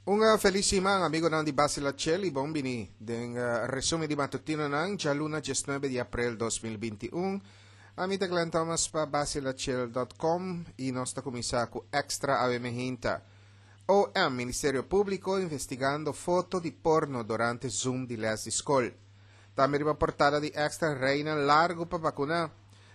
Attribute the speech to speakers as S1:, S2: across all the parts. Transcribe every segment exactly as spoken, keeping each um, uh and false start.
S1: Un felis siman, amigonan di Basila Cheli, bon bini den uh, resumen di matutinonan, djaluna diesnuebe di aprel dos mil binti un. Ami ta Glenn Thomas pa basilachel punto com i nos ta kuminsá ku Extra awe mainta. O M, Ministerio Públiko investigando foto di porno durante Zoom di les di skol. Tambe riba portada di Extra, reinan largu pa vakuná.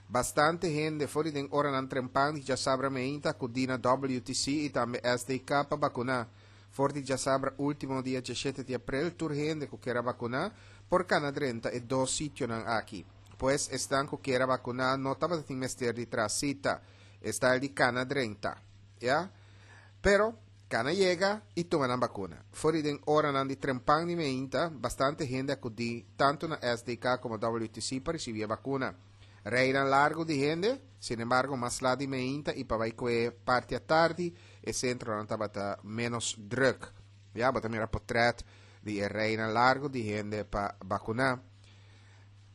S1: Bastante hende for di oranan trempan di djasabra mainta a akudí na W T C i tambe S D K pa vakuná. For di djasabra último, dia diesshete di aprel, tur hende ku ke vakuná por kana drenta e dos sitionan aki. Pues esnan ku ke vakuná no tabatin mester di traha sita. Esta di kana drenta. Ya? Pero kana yega i tuma nan vakuna. For di oranan di trempan di mainta, bastante hende a akudí tantu na S D K komo W T C pa risibí e vakuna. Reinan largu di hende, sin embargo, mas lat di mainta i pa bai kue parti atardi, e sentronan tabata ménos drùk. Ya, bo ta mira portrèt di reinan largu di hende pa vakuná.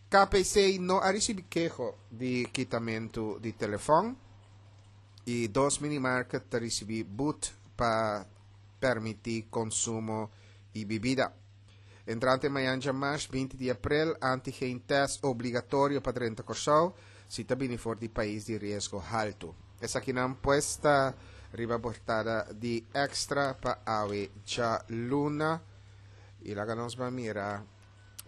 S1: K P C no a risibí keho di kitamentu di telefòn i dos minimarket a risibí but pa permití konsumo di bebida. Entrante mañan djamars binti di aprel, antigen test obligatorio pa drenta Kòrsou, si ta bini for di pais di riesgo haltu. Esakinan pues ta riba portada di Extra pa awe djaluna. I laga nos bai mira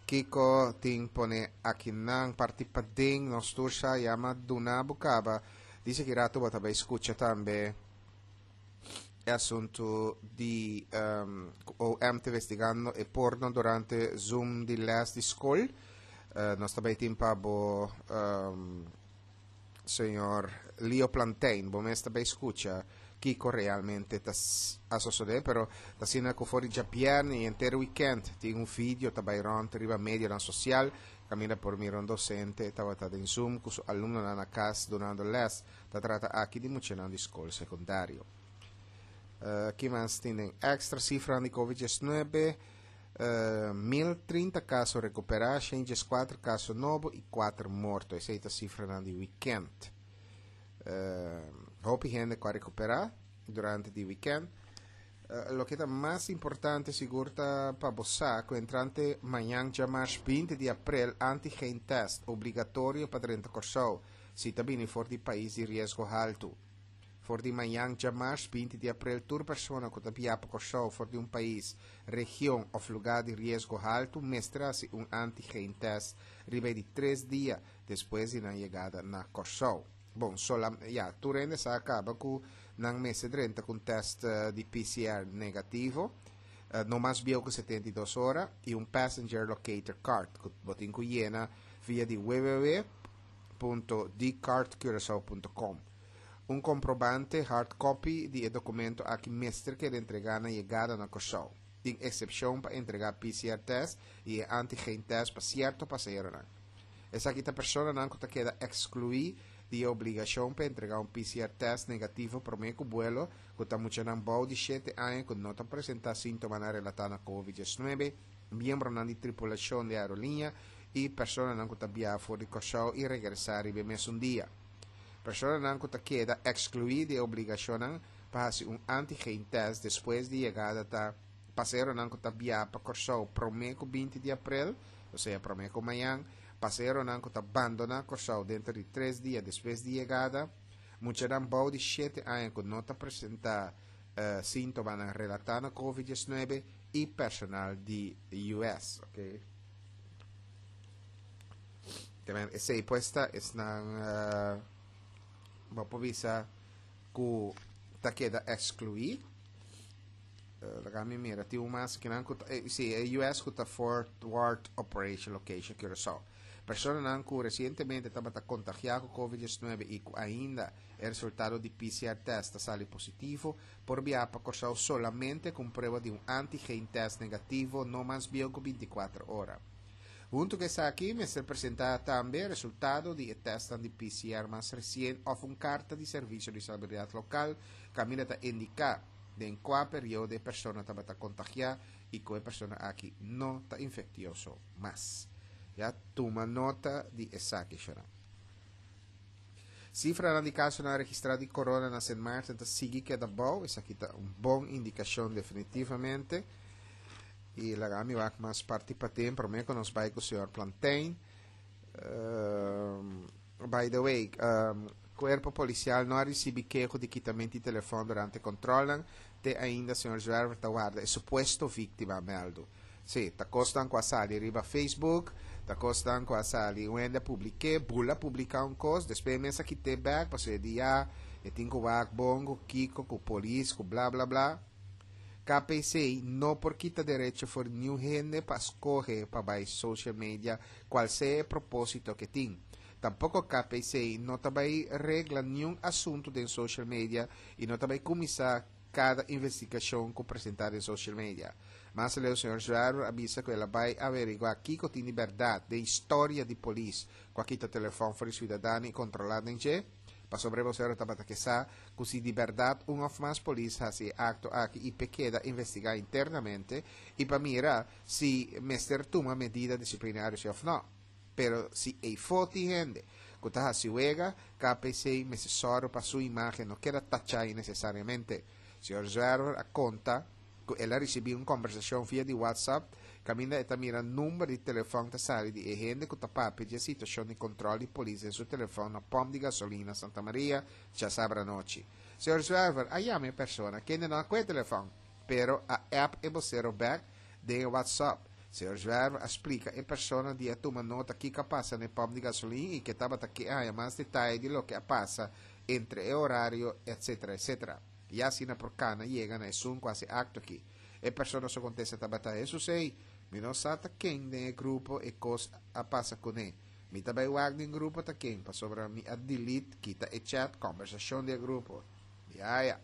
S1: kiko tin pone akinan parti paden. Nos tur sa ya, m'a duna bo kaba. Dice ku ratu bo ta bai skucha tambe e asuntu di um, O M investigando e porno durante Zoom di les di skol. Uh, nos tambe tin pa bo um, señor Leo Plantain, bo mes tambe skucha kiko realmente ta a sosodé, pero ta asina ku for di djabièrnè i henter weekend tin un video tambe rònt riba media sosial kaminda por mira un dosente tabata den Zoom ku su alumnonan na kas dunando les. Ta trata aki di muchanan di skol sekundario. Uh, ki mas tin den Extra? Sifra di COVID diesnuebe, uh, mil trinta kaso rekuperá, shen dieskuater kaso nobo i kuater morto. Esei ta sifra di weekend. Uh, hopi hende ku a rekuperá durante e weekend. Uh, loke ta mas importante sigur ta pa bo ku entrante mañan djamars binti di aprel, antigen test obligatorio pa drenta Kòrsou si ta bini for di pais di riesgo haltu. For di mañan djamars binti di aprel, tur persona ku ta biaha pa Kòrsou for di un pais, region òf lugá di riesgo haltu mester hasi un antigen test riba di tres dia despues di nan yegada na Kòrsou. Bon, sola, ya, tur hende sa kaba ku nan mester drenta ku test uh, di P C R negativo, uh, no mas bieu ku setenta i dos ora, i un passenger locator card, ku bo tin ku yena via di w w w punto dcardcuracao punto com. Un komprobante hard copy di e dokumento aki mester keda entregá na yegada na Kòrsou. Tin eksepshon pa entregá P C R test i antigen test pa sierto pasaheronan. Esaki ta personanan ku ta keda ekskluí di obligashon pa entregá un P C R test negativo promé ku vuelo, ku ta muchanan bou di shete aña ku no ta presentá síntomanan relatá na COVID diesnuebe, miembronan di tripulashon di aerolínea i personanan ku ta biaha for di Kòrsou i regresá riba mesun dia. Personanan ku ta keda ekskluí di obligashon pa hasi un antigen test despues di yegada ta pasaheronan ku ta biaha pa Kòrsou promé ku binti di aprel, osea promé ku mañan, pasaheronan ku ta bandoná Kòrsou denter di tres dia despues di yegada, muchanan bou di shete aña ku no ta presentá uh, síntomanan relatá na COVID diesnuebe i personal di U S, ok? Tambe esei pues ta esnan uh, bo por bisa ku ta keda ekskluí. Uh, laga mi mira, tin un mas ku nan ku eh, si, e U S ku ta Forward Operation Location Curaçao. Personanan ku resientemente tabata kontagiá ku COVID diesnuebe i ku ainda e resultado di P C R test ta sali positivo, por biaha pa Kòrsou solamente ku prueba di un antigen test negativo no mas bieu ku bintikuater ora. Huntu ku esaki, mester presentá tambe resultado di test di P C R mas resien òf un karta di servisio di salubridat lokal kaminda ta indiká den kua periodo e persona tabata kontagiá i ku e persona aki no ta infektioso mas. Ya, tuma nota di esaki, shona. Sifra di kasonan registrá di corona na Sint Maarten ta sigui keda abou. Esaki ta un bon indikashon definitivamente. I laga mi wak mas parti paden, promé ku nos bai ku señor Plantain. Um, by the way, um, Kuerpo Polisial no a risibí keho di kitamentu di telefòn durante kontròl. Te ainda señor Zwerver ta warda e supuesto víktima mèldu. Si, ta kosnan ku a sali riba Facebook, ta kosnan ku a sali, un hende publiká, bula publiká un kos, despues mes a kit'é bèk, paso e dia, e tin ku wak bon ku kiko, ku polis, ku bla bla bla. K P C no por kita derecho for niun hende pa skohe pa bai social media, kual sea e propósito ku tin. Tampoko K P C no ta bai regla niun asuntu den social media i no ta bai kuminsá kada investigashon ku presentá den social media. Mas aleu, señor Zwerver a bisa ku el a bai averiguá kiko tin di bèrdat den historia di polis ku a kita telefòn for di siudadano i kontrolá den dje, pasobra e tabata ke sa ku si di bèrdat un òf mas polis hasi e akto aki i pa keda investigá internamente i pa mira si mester tuma medida disiplinario òf no. Pero si e tin hende ku ta hasi wega, K P C mester sòru pa su imágen no keda tachá innesesariamente. Señor Zwerver a konta ku el a risibí un kombersashon via di WhatsApp, kaminda e ta mira number di telefòn ta sali di hende ku ta papia di situashon di kontròl di polis den su telefòn na pòmp di gasolina Santa Maria, djasabra anochi. Señor Zwerver a yama e persona, ku no a kohe telefòn, pero a app e bosero bèk den WhatsApp. Señor Zwerver a splika e persona di a tuma nota kiko a pasa na pòmp di gasolina i ku tabata ke mas detaye di loke a pasa entre e orario, et cetera, et cetera. I asina por kana yega na esun ku a hasi e akto aki. E persona su kontesta tabata: "Eso sei, mi no sa ta ken den grupo e kos a pasa kuné. Mi ta bai wak den grupo ta ken, pasobra mi a delete, kita e chat, kombersashon di grupo." Ya, ya.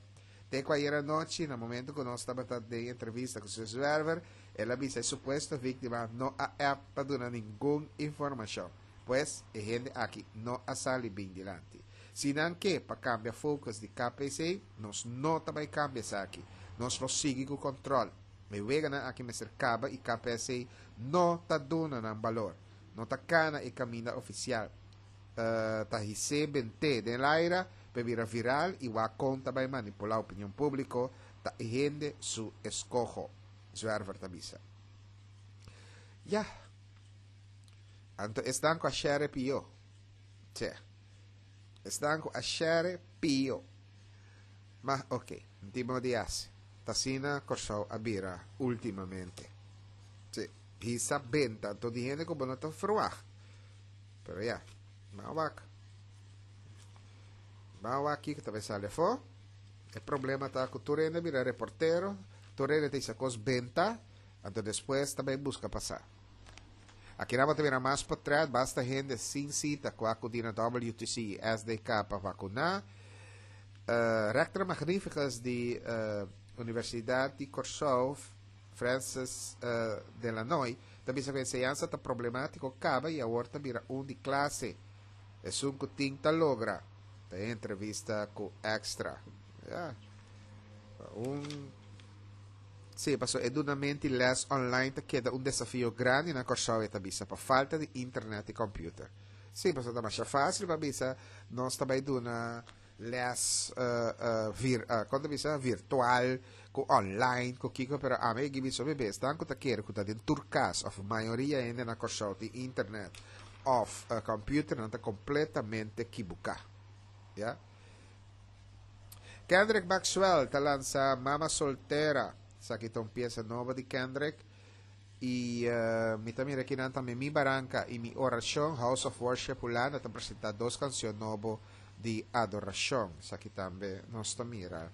S1: Te ku ayera nochi, na momento ku nos tabata den entrevista ku señor Zwerver, el a bisa e supuesto víktima no a app pa duna ningun informashon. Pues, e hende aki no a sali bin dilanti. Si nan ke pa kambia focus di K P C, nos no ta bai kambia esaki. Nos lo sigui ku kontròl. E weganan aki mester kaba i K P C no ta duna nan balor. No ta kana e kaminda ofisial. Uh, ta his'é bent'é den laira, pa bira viral i wak kon ta bai manipulá opinion públiko, ta hende su eskoho. Zwerver ta bisa. Ja. Anto esnan ku a share pió. Tje. Esnan ku a share pió. Ma ok, tipo di hasi. T'asina Kòrsou a bira últimamente. Si, hisa benta, anto di hende ku bo no ta verwacht. Pero ja, maar wak. Maar wak kiko ta bai sali afó. E problema ta ku tur hende bira reportero, tur hende ta hisa kos benta, anto despues ta bai buska pa sa. Aki nan mira mas patras, basta hende sin sita ku a akudí na W T C i S D K pa vakuná. Uh, Rector Magnificus di uh, Universidat di Kòrsou, Francis uh, Delanoy, tambe ku enseñansa ta problemátiko kaba i awor ta bira un di klase. Esun ku tin ta logra. Den entrevista ku Extra. Ja. Un Si, paso e dunamento les online ta keda un desafio grandi na Kòrsou, ta bisa, pa falta di internet i computer. Si, paso ta mas fásil pa bisa, nos ta bai duna les uh, uh, vir, uh, kon ta bisa, virtual, ku online, ku kiko, pero ami ke bisa bebe, esnan ku ta kere ku ta den tur kas, òf mayoria hende na Kòrsou tin internet, òf uh, computer, nan ta kompletamente ekiboká. Ja? Kendrick Maxwell ta lansa Mama Soltera. Esaki ta un piesa nobo di Kendrick. I uh, mi tambe aki tambe Mi Baranka i Mi Orashon, House of Worship Hulanda ta presentá dos kanshon nobo di adorashon. Esaki tambe nos ta mira.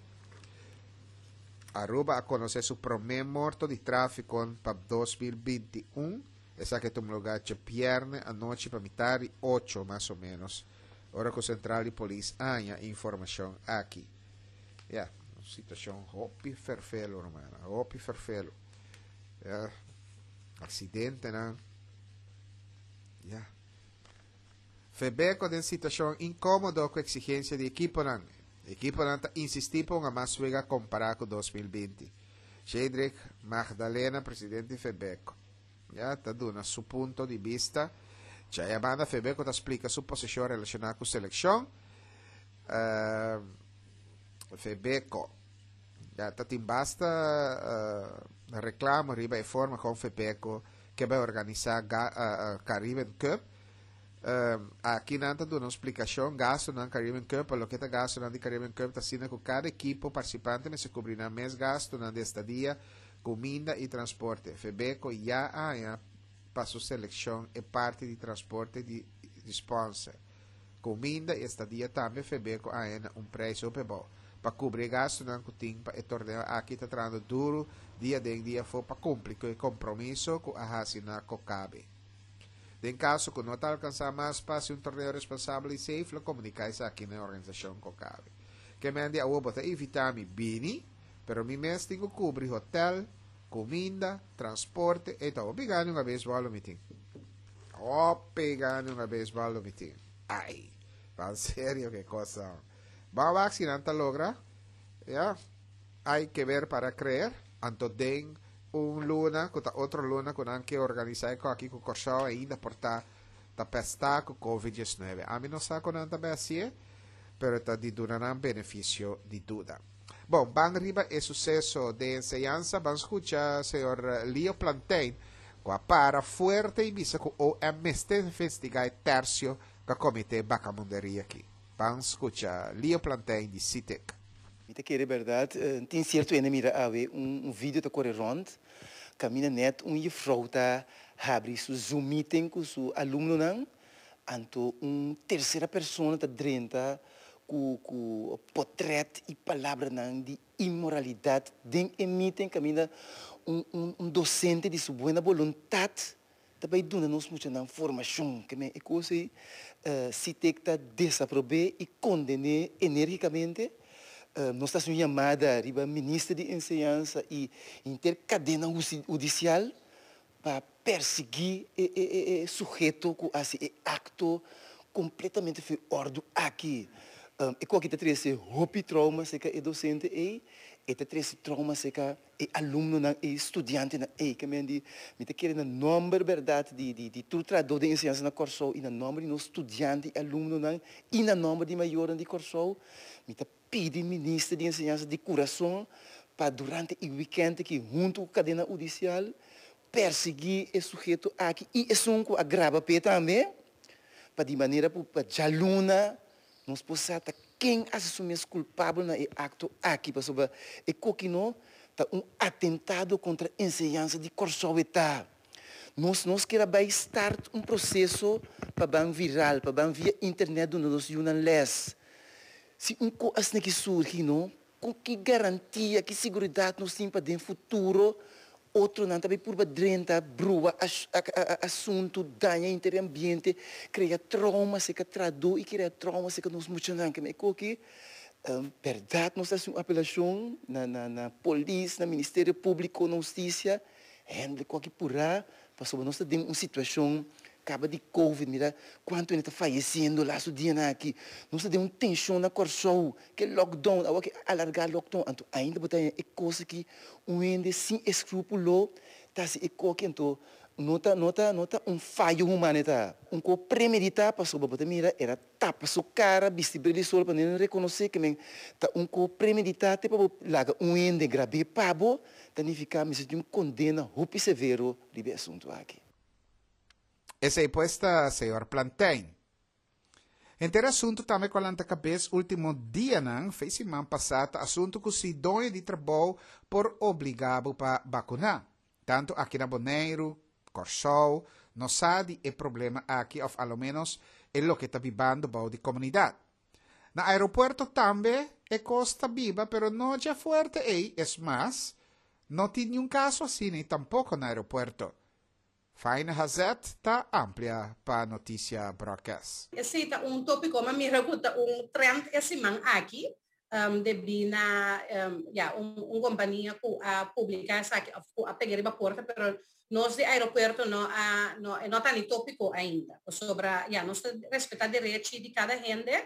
S1: Aruba a konosé su promé morto di tráfiko pa dos mil binti un. Esaki a tuma lugá djabièrnè anochi pa mitar di ocho mas o ménos. Ora ku sentral di polis a haña informashon aki. Ja, un situashon hopi ferfelu, ruman. Hopi ferfelu. Ja, aksidente, no? Ja. Febeko den situashon inkómodo ku eksigensia di ekiponan. Ekiponan ta insistí pa un mas wega kompará ku dos mil binti. Shedrick Magdalena, presidente di Febeko. Ja, ta duna su punto di bista. Djei banda Febeko ta splika su posishon relashoná ku selekshon. Uh, Febeko. Ya ta tin basta uh, reklamo riba e forma kon Febeko ke bai organisá uh, Caribbean Cup. Um, aki nan ta duna un splikashon, gastunan Caribbean Cup, loke ta gastunan di Caribbean Cup, ta asina ku kada ekipo partisipante mester kubri nan mes gastunan di estadia, kuminda i transporte. Febeko ya a haña pa su selekshon e parti di transporte di, di sponsor. Kuminda i estadia tambe Febeko a haña un preis hopi abou. Pa kubri gastunan ku tin pa e torneo aki ta trahando duru dia aden dia afó pa kumpli ku e kompromiso ku a hasi na Kokabe. Den kaso ku no ta alkansá mas pa hasi un torneo responsabel i safe, lo komuniká esaki na organisashon Kokabe. Ke men di awor bo ta invitá mi bini, pero mi mes tin ku kubri hotel, kuminda, transporte, e ta hopi gana un beisbòl mi tin. Hopi gana un beisbòl mi tin. Ai, pa serio, ke kos. Ban wak si nan ta logra. Ya, hay que ver para creer. Anto den un luna, ku ta otro luna ku nan ke organisá ku aki ku Kòrsou ainda por ta ta pestá ku COVID diesnuebe. Ami no sa kon nan ta bai hasié, pero ta di duna nan benefisio di duda. Bon, ban riba e suseso di enseñansa, ban skucha señor Leo Plantein, ku a para fuerte i bisa ku O M mester investigá e tersio ku a kometé bakamunderia aki. Ban skucha Leo Plantein di SITEK.
S2: Mi ta kere berdat, tin sierto hende mira awe un, un video ta kore rònt, kaminda net un juffrouw ta habri su Zoom meeting ku su alumnonan, anto un tersera persona ta drenta ku ku portrèt i palabranan di inmoralidat den e meeting kaminda un, un, un dosente di su buena boluntat ta bai duna nos muchanan formashon ke men e kos ei uh, SITEK ta desaprob'é i konden'é enérgikamente. Uh, nos ta hasi un yamada riba minister di enseñansa i henter kadena hudisial pa persiguí e, e, e, e suheto ku a hasi e akto kompletamente fuera òrdu aki. Um, e ku ta trese hopi trauma serka e dosente ei, e ta trese trauma serka e alumnonan e studiantenan ei ke men di mi ta kere na nòmber berdat di di di tur trahadó di enseñansa na Kòrsou i na nòmber di nos studiante i alumnonan i na nòmber di mayornan di Kòrsou mi ta pidi minister di enseñansa di kurason pa durante e weekend aki huntu ku kadena hudisial persiguí e suheto aki i esun ku a graba p'e tambe pa di manera pa djaluna nos por sa ken a asumí kulpabel na e akto aki, pasobra e kos aki no ta un atentado kontra enseñansa di Kòrsou. Ta nos nos ke bai start un proseso pa ban viral, pa ban via internet duna nos yunan les. Si un kos asina aki surgi, no, ku ki garantia, ki seguridat nos tin pa den futuro otronan tambe por drenta, brua asuntu, daña henter ambiente, kria trauma serka trahadó i kria trauma serka nos muchanan? Ke ki um, berdat nos ta hasi un apelashon na, na, na polis, na Ministerio Públiko, na hustisia, hende ku purá, pasobra nos tin un situashon kaba di COVID, mira kuantu hende ta fayesiendo lastu dianan aki. Nos tin un tenshon na Kòrsou, ku lockdown, awor ku alargá lockdown, anto ainda bo ta e kos ku un hende sin eskrúpulo ta hasi e kos, anto no ta no ta no ta un fayo humano, ta un kos premeditá, pasobra bo ta mira el a tapa su kara, bisti bril di solo pa no rekonosé ke men ta un kos premeditá te pa laga un hende grab'é pa bo, ta nifiká mester tin un kondena hopi severo riba e asuntu aki.
S1: Esei pues ta señor Plantein. Henter asuntu tambe ku a lanta kabes último dianan, fe siman pasá, asuntu ku si doño di trabou por obligá pa vakuná. Tantu aki na Boneiru, Kòrsou, no sa di e problema aki, òf alomenos e loke ta bibando bou di komunidat. Na aeropuerto tambe e kos ta biba, pero no ya fuerte ei, es mas, no tin ningun kaso asina tampoko na aeropuerto. Faina Hazet ta amplia pa Notisia Broadcast.
S3: Esei ta un tópiko, ma mira ku un trend e siman aki, um, debí na um, ja, un, un kompania ku a publiká esaki, ku a pega riba porta, pero nos di aeropuerto no a no no ta ni tópiko ainda. Sobre, ja, nos ta respetá derecho di kada hende.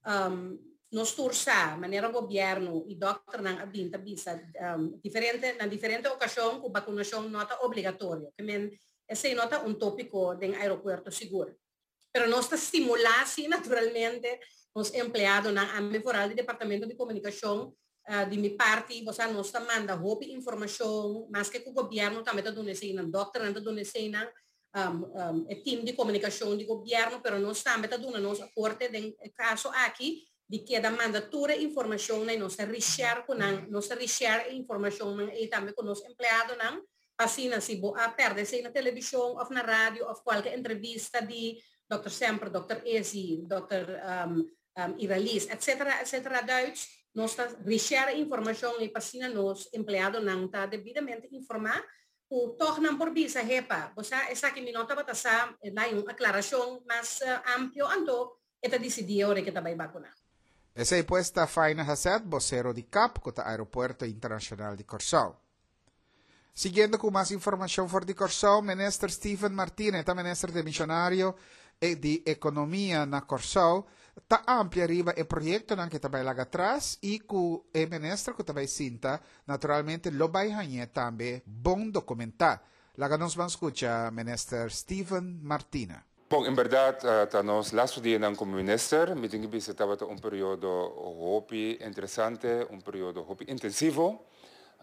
S3: Um, nos tur sa, manera gobièrnu i dòkternan a bin ta bisa um, diferente na diferente okashon ku vakunashon no ta obligatorio. Ke men esei no ta un tópiko den aeropuerto sigur. Pero nos ta stimulá, sí, naturalmente, Nos empleadonan, ami vooral di departamento di komunikashon, uh, di mi parti, bo nos ta manda hopi informashon, maske ku gobièrnu tambe ta duna eseinan, dòkter ta duna eseinan, um, um, e team di komunikashon di gobièrnu, pero nos tambe ta duna nos aporte den kaso aki, di keda manda tur informashon i nos reshare ku nan, nos reshare informashon i tambe ku nos empleadonan, asina si bo a pèrdè esei na televishon òf na radio òf kualke entrevista di Dòkter Semper, Dòkter Ezi, Dòkter Um, um, Iralis, et cetera, et cetera. Duits, nos ta reshare informashon i asina nos empleadonan ta debidamente informá ku toch nan por bisa, "Hepa, bo esaki mi no tabata sa," na un aklarashon mas uh, amplio, anto e ta disidí ora ku ta bai vakuná.
S1: Esei pues ta Faina Hasset, bosero di CAP, ku ta Aeropuerto Internashonal di Kòrsou. Siguiendo ku mas informashon for di Kòrsou, Minister Steven Martina, ta minister demishonario di Ekonomia na Kòrsou, ta amplia riba e proyektonan ku ta bai laga atras i ku e minister ku ta bai sinta, naturalmente lo bai haña tambe bon dokumentá. Laga nos ban skucha Minister Steven Martina.
S4: Bon, en berdat, uh, ta nos laatste dia komo minister, mi tin ku bisa tabata un periodo hopi interesante, un periodo hopi intensivo.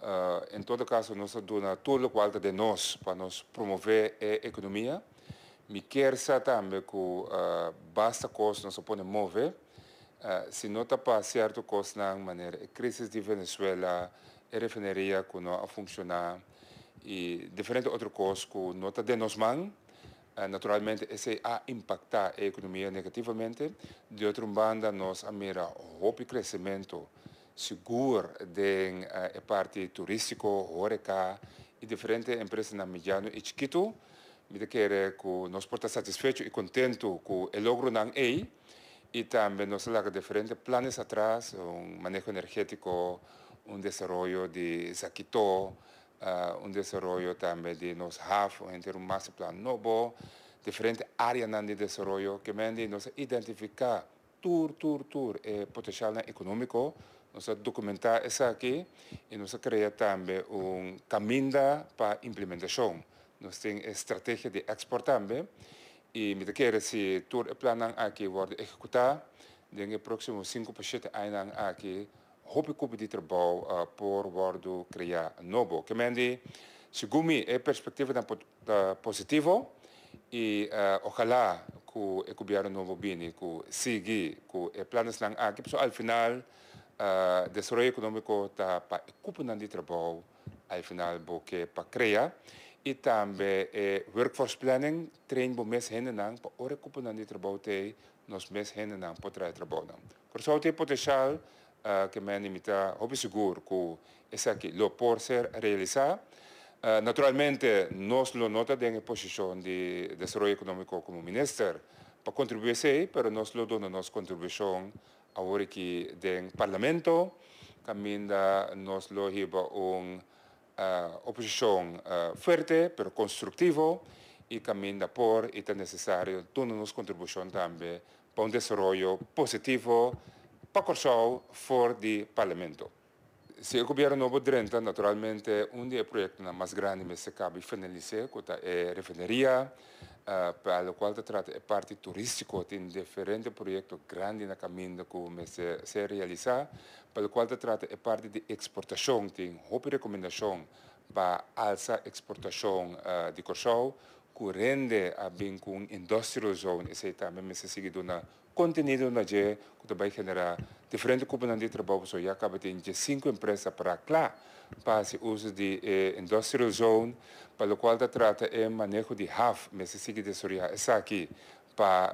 S4: Uh, en todo kaso, nos a duna tur loke ta di nos pa nos promové e ekonomia. Mi ke sa tambe ku uh, basta kos nos por a move. Uh, si no ta pa sierto kos na manera, e krísis di Venezuela, e refineria ku no a funshoná i diferente otro kos ku no ta den nos man, uh, naturalmente esei a impaktá e ekonomia negativamente. Di otro banda, nos a mira hopi kresementu sigur den uh, parti turístiko, horeca i diferente empresanan mediano i chikitu. Mi ta kere ku nos por ta satisfecho i kontentu ku e logronan ei i tambe nos a laga diferente plannan atras, un maneho energétiko, un desaroyo di Zakito, uh, un desaroyo tambe di nos haf, un master plan nobo, diferente áreanan di desaroyo ku men nos a identifiká tur, tur, tur e potensial ekonómiko, nos a dokumentá esaki i nos a krea tambe un kaminda pa implementashon. Nos tin strategia di export tambe i mi ta kere si tur e plannan aki wòrdu ehekutá, den próksimo sinku pa shete aña aki, hopi kupo di trabou uh, por wòrdu kreá nobo. Ke men, segun mi, e perspektiva ta positivo i uh, ohalá ku e gobièrnu nobo bini ku sigui ku e plannan aki, so al final uh, desaroyo ekonómiko ta pa kupo di trabou, al final bo ke pa krea i tambe eh, workforce planning, train bo mes hendenan pa ora kupo di trabou t'ei, nos mes hendenan por traha trabounan. Kòrsou tin potensial uh, ke men mi ta hopi sigur ku esaki lo por ser realisá. Uh, naturalmente, nos lo no ta den posishon di desaroyo ekonómiko komo minister pa kontribuí, pero nos lo duna nos kontribushon awor aki den parlamento, kaminda nos lo hiba un uh, oposishon uh, fuerte, pero konstruktivo, i kaminda por i ta nesesario duna nos kontribushon tambe pa un desaroyo positivo pa Kòrsou for di parlamento. Si e gobièrnu nobo drenta, naturalmente, un di e proyektonan mas grandi mester kaba finalisá, ku ta e refineria, uh, pa loke ta trata e parti turístiko, tin diferente proyekto grandi na kaminda ku mester ser realisá, pa loke ta trata e parti di eksportashon, tin hopi rekomendashon pa alsa eksportashon uh, di Kòrsou, ku rende a bin ku industrial zone, esei tambe mester sigui duna kontenido na dje, ku tambe generá diferente kupo di trabou, so ya kaba tin sinku empresa pa kla pa uso di eh, industrial zone. Pa loke ta trata e maneho di haf, mester sigui desaroyá esaki pa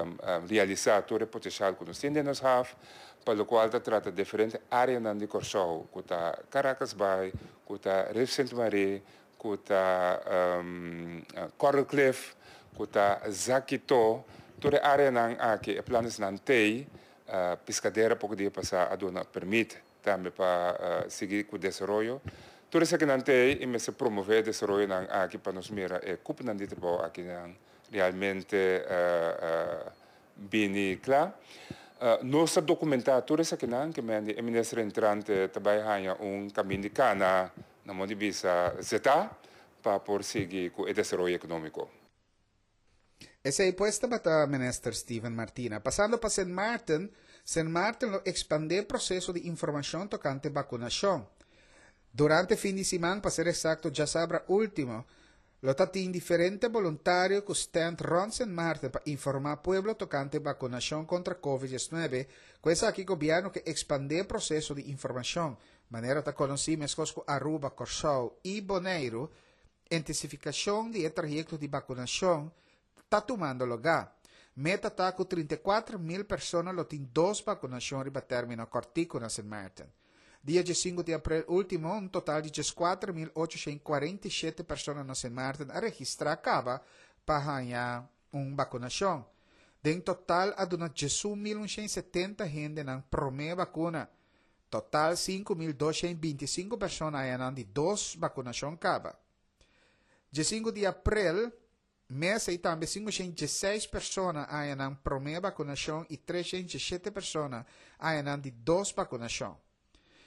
S4: um, um, realisá tur e potensial ku nos tin den nos haf. Pa loke ta trata diferente áreanan di Kòrsou, ku ta Caracas Bay, ku ta Rif Sint Marie, ku ta um, Coral Cliff, ku ta Zakito, tur e áreanan aki, e plannan t'ei, uh, Piscadera poko dia pasá a duna pèrmit tambe pa uh, sigui ku desaroyo. Tur esakinan t'ei i mester promové desaroyonan aki pa nos mira e kuponan di trabou akinan realmente uh, uh, bini kla. Uh, nos a dokumentá tur esakinan, ke men e minister entrante tambe haña un kaminda di kana na moda di bisa zeta pa por sigui ku e desaroyo ekonómiko.
S1: Esei pues tabata Minister Steven Martina. Pasando pa Sint Maarten, Sint Maarten lo ekspandé proseso di informashon tokante vakunashon. Durante fin di siman, pa ser eksakto, djasabra último, lo tatin diferente voluntario ku stand rònt Sint Maarten pa informá pueblo tokante vakunashon kontra COVID diesnuebe. Ku esaki gobièrnu ke ekspandé proseso di informashon. Manera ta konosí, meskos ku Aruba, Kòrsou i Boneiru, intensifikashon di trayekto di vakunashon ta tumando lugá. Meta ta ku trinta i kuater mil persona lo tin dos vakunashon riba término kòrtiku na Sint Maarten. Dia sinku di aprel último, un total di kuater mil ochoshen kuarenta i shete persona na Sint Maarten a registrá kaba pa haña un vakunashon. Den total, a duna diesun mil un shen setenta hende nan promé vakuna. Total sinku mil dos shen binti i sinku persona a haña nan di dos vakunashon kaba. Dia sinku di aprel, mes ei tambe sinku shen diesseis persona a haña nan promé vakunashon i tres shen diesshete persona a haña nan di dos vakunashon.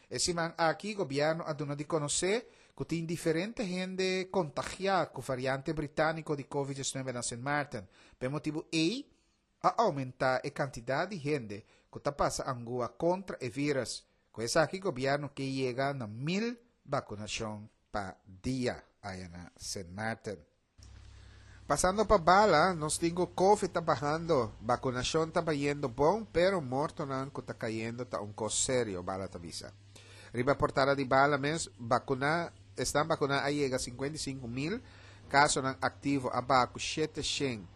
S1: E siman aki, gobièrnu a duna di konosé ku tin diferente hende kontagiá ku variante britániko di COVID diesnuebe na Sint Maarten. Pa e motibu ei, a oumentá e kantidat di hende ku ta pasa angua kontra e vírùs. Ku esaki gobièrnu ke yega na mil vakunashon pa dia aya na Sint Maarten. Pasando pa Bala, nos tin ku COVID ta bahando, vakunashon ta bayendo bon, pero mortonan ku ta kayendo ta un kos serio, Bala ta bisa. Riba portada di Bala mes, vakuná, esnan vakuná a yega sinkuenta i sinku mil, kasonan aktivo a baha ku shete shen.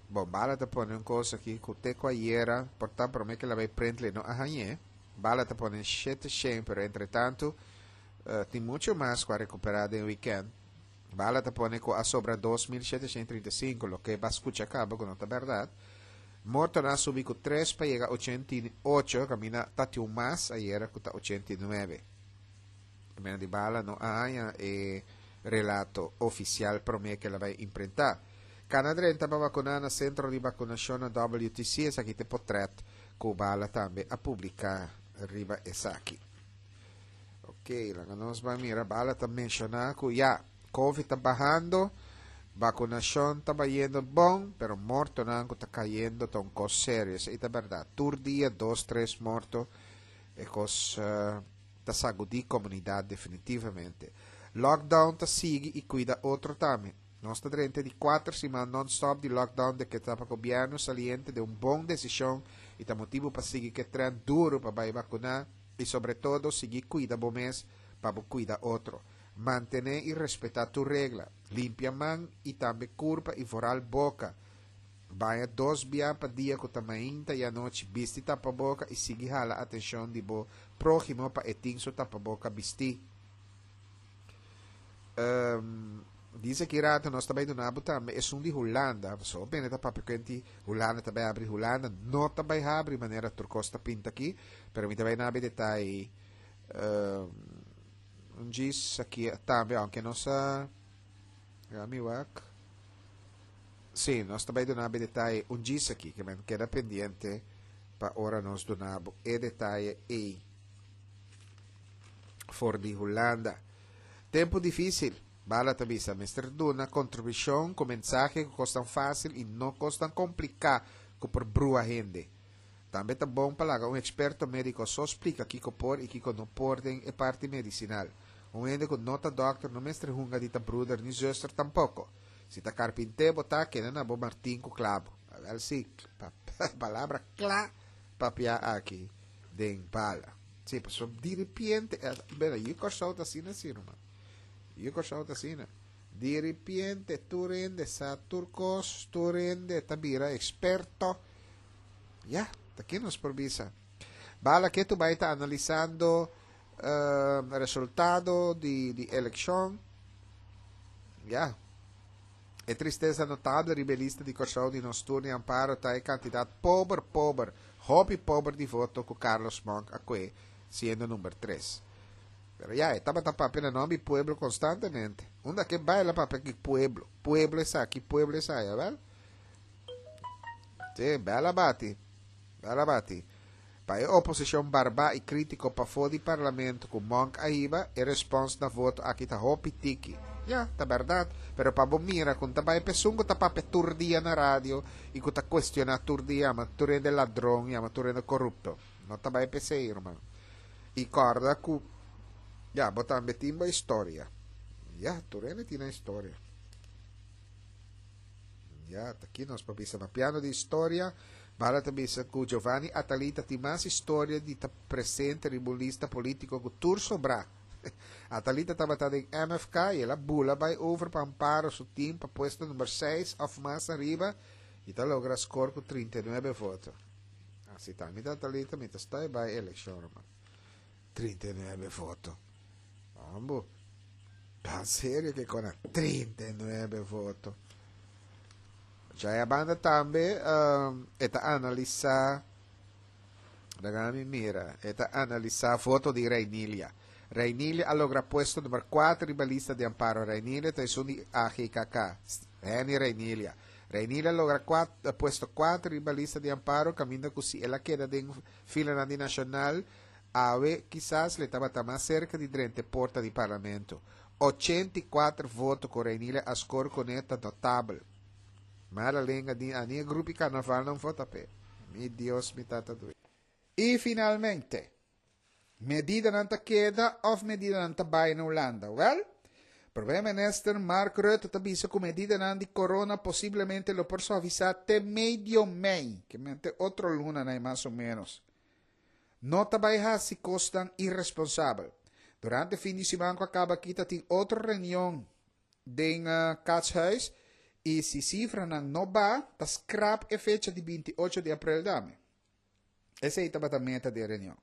S1: Bon, Bala ta pone un kos aki, ku te ku ayera, por tantu, promé ku el a bai print no a hañ'é. Bala ta pone shete shen, pero entre tantu, uh, tin muchu mas ku a rekuperá den weekend. Bala ta pone ku a sobra dos mil shete shen trinta i sinku, loke bo a skucha kaba, ku no ta berdat. Mortonan a subi ku tres pa yega ochenta i ocho, kaminda tabatin un mas, ayera ku ta ochenta i nuebe. Mena di Bala no a haña e relato ofisial promé ku el a bai imprentá. Kana drenta pa vakuná na sentro di vakunashon na W T C, esaki ta portrèt ku Bala tambe a publiká riba esaki. Ok, laga nos bai mira, Bala ta menshoná ku ya, COVID ta bahando, vakunashon ta bayendo bon, pero mortonan ku ta kayendo ta un kos serio. Esei ta berdat. Tur dia, dos, tres morto, e kos uh, ta sagudí komunidat definitivamente. Lockdown ta sigui i kuida otro tambe. Nos ta drenta di kuater siman non-stop di lockdown dekretá pa gobièrnu saliente di un bon desishon i ta motibu pa sigui ku trend duru pa bai vakuná i sobre todo sigui kuida bo mes pa kuida otro. Mantené i respetá tur regla. Limpia man i tambe kurpa i vooral boka. Baña dos bia pa dia, ku ta mainta i anochi, bisti tapaboka i sigui hala atenshon di bo próhimo pa e tin su tapaboka bisti. Um, dice ku rato nos tambe dunabo tambe esun di Hulanda, so bene ta papia kenti Hulanda tambe habri. Hulanda no tambe habri manera tur kos ta pinta aki, pero mi tambe nabe detaye um, un djis aki tambe, aunke nos a mi wak. Sí, nos tambe dunabo detaye un djis aki, ke men keda pendiente pa ora nos dunabo e detaye ei for di Hulanda. Tempu difísil. Bala ta bisa, mester duna kontribushon ku mensahe ku kos tan fásil i no kos tan kompliká ku por brua hende. Tambe ta bon pa laga un eksperto médiko so splika kiko por i kiko no por den e parti medisinal. Un hende ku no ta dòkter no mester hunga di ta broeder ni zuster tampoko. Si ta karpinté bo ta, keda na bo martin ku klabo. Wel sí, pa, palabra kla papia aki den Bala. Sí, so di repente, eh, bueno, e Kòrsou ta asina, sí, ruman. E Kòrsou ta asina. Di repente, tur hende sa tur kos, tur hende ta bira eksperto. Ya, aki nos por bisa. Bala ketu bai ta analisando uh, resultado di, di elekshon. Ya. E tristesa notabel riba e lista di Kòrsou di Nos Tur ni Amparo ta e kantidat pober, pober, hopi pober di voto ku Carlos Monk a kue, siendo number tres. Pero ya, tabata papia na nòmber di pueblo konstantemente. Unda ku e bai el a papia ku pueblo. Pueblo esaki, pueblo esaya, wel? Sí, bela bati. Bela bati. Pa e oposishon barba i krítiko pafó di parlamento ku Monk a hiba, e respons na voto aki ta hopi tiki. Ya, ta bèrdat. Pero pa bo mira, ku ta bai p'esun ku ta papia tur dia na radio i ku ta kuestioná tur dia, yama tur hende ladron, yama tur hende korupto. No ta bai p'esei, ruman. I kòrda ku, ya, bo tambe tin bo historia. Ya, tur hende tin nan historia. Ya, ta aki nos pa bisa papiando di historia, bala ta bisa ku Giovanni Atalita tin mas historia di ta presente riba un lista polítiko ku tur sobrá. Atalita tabata den M F K i el a bula bai over pa Amparo su team pa puesto number seis òf mas ariba i ta logra score ku trinta i nuebe voto. Asina ta, mi ta Atalita, mi ta sta bai elekshon, ruman. trinta i nuebe voto. Ambo. Ta serio ku kon trinta i nuebe voto. Ya e banda tambe um, e ta analisá. Laga mira, e ta analisá voto di Reinilia. Reinilia a logra puesto number kuater riba lista di Amparo. Reinilia ta esun di A G K K. Henny Reinilia. Reinilia a logra kuater, puesto kuater riba lista di Amparo, kaminda ku si el a keda den fila di Nashonal, awe kisas e tabata mas serka di drenta porta di parlamento. ochenta i kuater voto ku Reinilia a score kuné ta notabel. Mala lenga di a ni grupo karnaval no vota p'e. Mi Dios, mi tata dushi. I finalmente, medidanan ta keda òf medidanan ta bai na Hulanda? Well, Prome Minister Mark Rutte ta bisa ku medidanan di corona posiblemente lo por suavisá te medio mei, ke men te otro luna, mas o ménos. No ta bai hasi kosnan iresponsabel. Durante fin di siman ku a kaba aki tin otro reunion den uh, Catshuis i si sifranan no baha, ta scrap e fecha di binti ocho di aprel tambe. Esei tabata meta di reunion.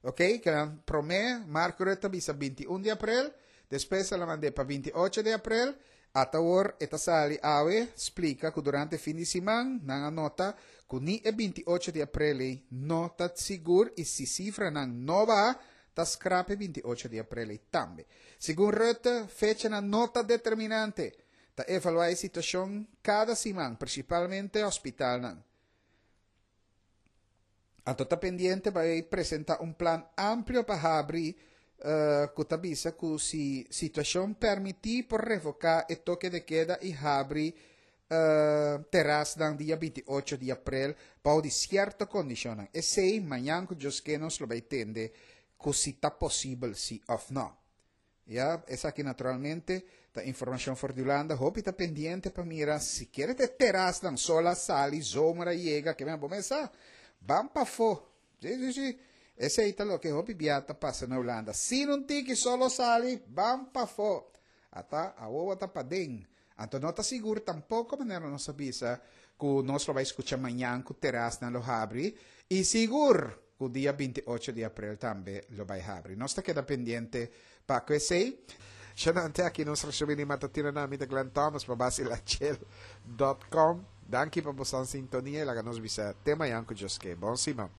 S1: Ok? Ku promé Mark Rutte bisa binti un di aprel, despues el a manda pa binti ocho di aprel, ata awor e ta sali awe splika ku durante fin di siman nan a nota ku ni e binti ocho di aprel no ta sigur i si sifranan no baha, ta scrap binti ocho di aprel tambe. Segun Rutte, fechanan no ta determinante. Ta evaluá e situashon kada siman, prinsipalmente hospitalnan. Anto ta pendiente pa presentá un plan amplio pa habri uh, ku ta bisa ku si situashon permití por revoká e toke de keda i habri uh, terasnan dia binti ocho di aprel pa di sierto kondishon. Esei mañan ku Dios ke nos lo bai tende ku si ta posibel si òf no. Ya, esaki naturalmente ta informashon for di Hulanda. Hopi ta pendiente pa mira si ke te terasnan solo a sali, zomer a yega, ke men kuminsá. Ban pafó. Si, si, si. Esei ta loke hopi bia ta pasa na Hulanda. Si no tin ku solo sali, ban pafó. Ata awor ta paden. Anto no ta sigur tampoko, manera nos a bisa, ku nos bai skucha mañan ku terasnan lo habri i sigur ku dia binti ocho di aprel tambe lo bai habri. Nos ta keda pendiente pa esei. Xanante aki nos resumí matutino na mi Glenn Thomas pa basilachel punto com. Danki pa boso sintonia i laga nos bisa te mañan ku Dios ke. Bon siman.